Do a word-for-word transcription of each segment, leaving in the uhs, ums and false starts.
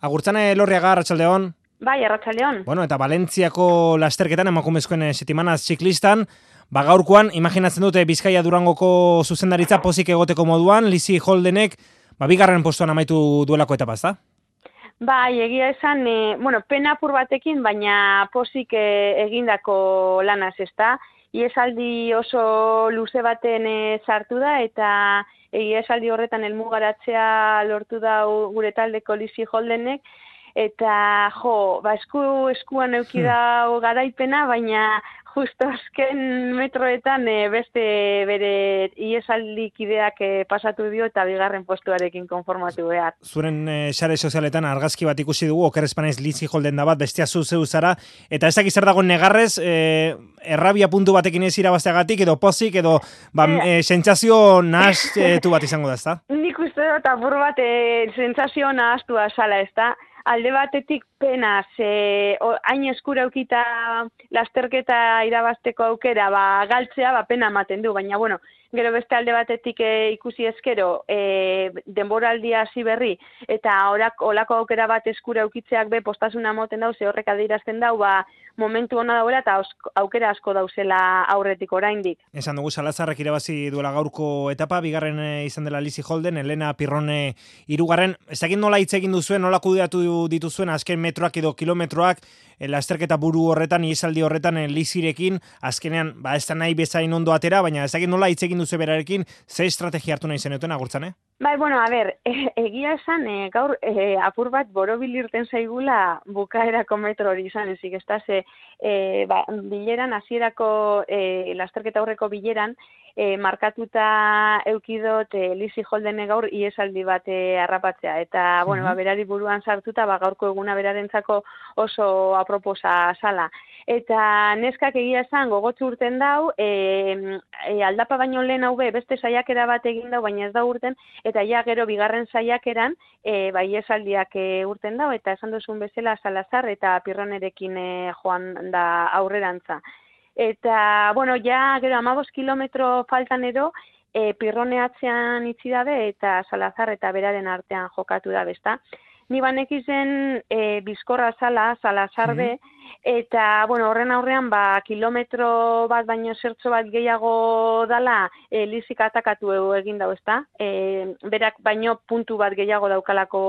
Agurtzane Elorriaga, arratsaldeon. Bai, arratsaldeon. Bueno, eta Valentziako lasterketan emakumezkoen setimanaz ziklistan, ba gaurkoan imaginatzen dute Bizkaia Durangoko zuzendaritza pozik egoteko moduan, Lizzie Holdenek ba bigarren postuan amaitu duelako etapa, ezta? Bai, egia esan, e, bueno, pena apur batekin, baina pozik e, egindako lanaz, ezta? Iesaldi oso luze baten e, sartu da eta egia esaldi horretan helmugaratzea lortu da gure taldeko Lizzie Holdenek. Eta, jo, ba, esku, eskuan euki da garaipena, baina justo azken metroetan e, beste bere iesaldikideak e, pasatu dio eta bigarren postuarekin konformatu behar. Zuren e, sare sozialetan argazki bat ikusi dugu, oker espanaiz Lizzie Holden da bat, bestia zu zeu zara, eta ez dakiz zer dago negarrez, e, errabia puntu batekin ez irabazteagatik, edo pozik, edo ba, e, sentsazio nahaztu bat izango da, ezta? Nik uste dut apur bat e, sentsazio nahaztua zala, ezta? Alde batetik penaz, e, hain eskura eukita lasterketa irabazteko aukera, ba, galtzea, ba, pena ematen du, baina, bueno, gero beste alde batetik e, ikusi ezkero, e, denboraldia hasi berri, eta orak, olako aukera bat eskura eukitzeak be postasuna moten dau, ze horrek adierazten dau, ba, momentu hona dauela eta aukera asko dauzela aurretik oraindik. Esan dugu Salazarrek irabazi duela gaurko etapa, bigarren izan dela Lizzie Holden, Elena Pirrone hirugarren. Ez dakit nola hitz egin duzuen, nola kudeatu dituzuen azken metroak edo kilometroak, lasterketa buru horretan, iesaldi horretan Lizzierekin, azkenean, ba ez da nahi bezain ondo atera, baina ez dakit nola hitz egin duzu berarekin, ze estrategia hartu nahi zenuten, Agurtzane? Bai, bueno, a ber, e, egia esan, e, gaur e, apur bat borobil irten zaigula bukaerako metro hori izan, ezik ez da, ze e, ba, bileran, hasierako e, lasterketa aurreko bileran, e, markatuta eukidot e, Lizzie Holdene gaur iesaldi bat e, harrapatzea, eta, bueno, ba, berari buruan sartuta, ba, gaurko eguna berarentzako oso aproposa sala. Eta neskak egia esan gogotsu urten dau, e, e, aldapa baino lehen hau be, beste saiakera bat egin dau, baina ez da urten, eta ja gero bigarren saiakeran e, bai esaldiak e, urten dau, eta esan duzun bezala Salazar eta Pirronerekin e, joan da aurrerantza. Eta, bueno, ja gero hamabost kilometro faltan edo, e, Pirrone atzean itzi dabe, eta Salazar eta beraren artean jokatu da, besta. Ni banekizen e, bizkorra zala, Salazar be, eta, bueno, horren aurrean, ba, kilometro bat baino zertzo bat gehiago dala, e, Lizzik atakatu egin dau, ezta? E, berak baino puntu bat gehiago daukalako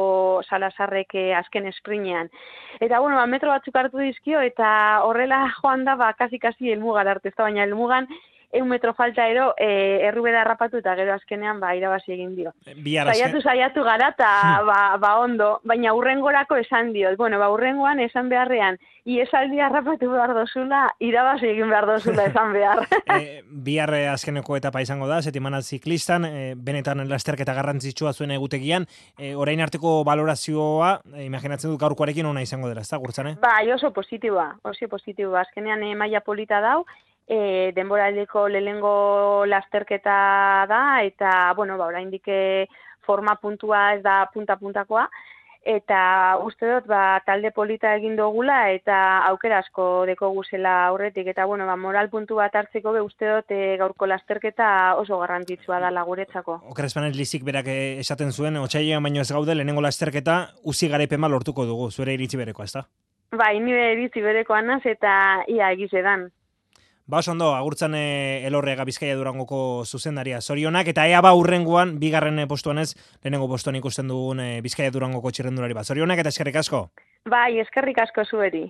Salazarrek e, azken esprinean. Eta, bueno, ba, metro batzuk hartu dizkio, eta horrela joan da, ba, kasi-kasi helmugan arte, ezta? Baina helmugan, eun metro falta ero, e, errubera harrapatu eta gero azkenean ba, irabazi egin dio. Saiatu, saiatu gara eta ba, ba ondo, baina urrengorako esan dio. Bueno, ba urrengoan esan beharrean, iesaldi harrapatu behar dozula, irabazi egin behar dozula esan behar. e, bihar azkeneko etapa izango da, setimanal ziklistan, e, benetan lasterketa garrantzitsua zuen egutegian, e, orain arteko valorazioa, e, imaginatzen dut gaurkoarekin ona izango dela, ez da, Agurtzane? Bai, oso positiboa, oso positiboa. Azkenean e, maila polita dau, E, denboraldiko lehengo lasterketa da, eta, bueno, ba, oraindik forma puntua ez da punta-puntakoa, eta uste dut, ba, talde polita egin dugula, eta aukera asko deko guzela aurretik, eta, bueno, ba, moral puntu bat hartzeko be uste dut e, gaurko lasterketa oso garrantzitsua da laguretzako. Oker espanez Lizzik berak esaten zuen, otsailean baino ez gaude, lehenengo lasterketa uzi garaipen bat lortuko dugu, zure iritzi bereko, ez da? Bai, nire iritzi berekoa naz, eta ia egizedan. Ba, oso ondo, Agurtzane Elorriaga Bizkaia Durangoko zuzendaria zorionak, eta ea ba urrengoan, bigarren postuan ez, lehenengo postuan ikusten dugun Bizkaia Durangoko txirrendulari bat. Zorionak eta eskerrik asko? Bai, eskerrik asko zueri.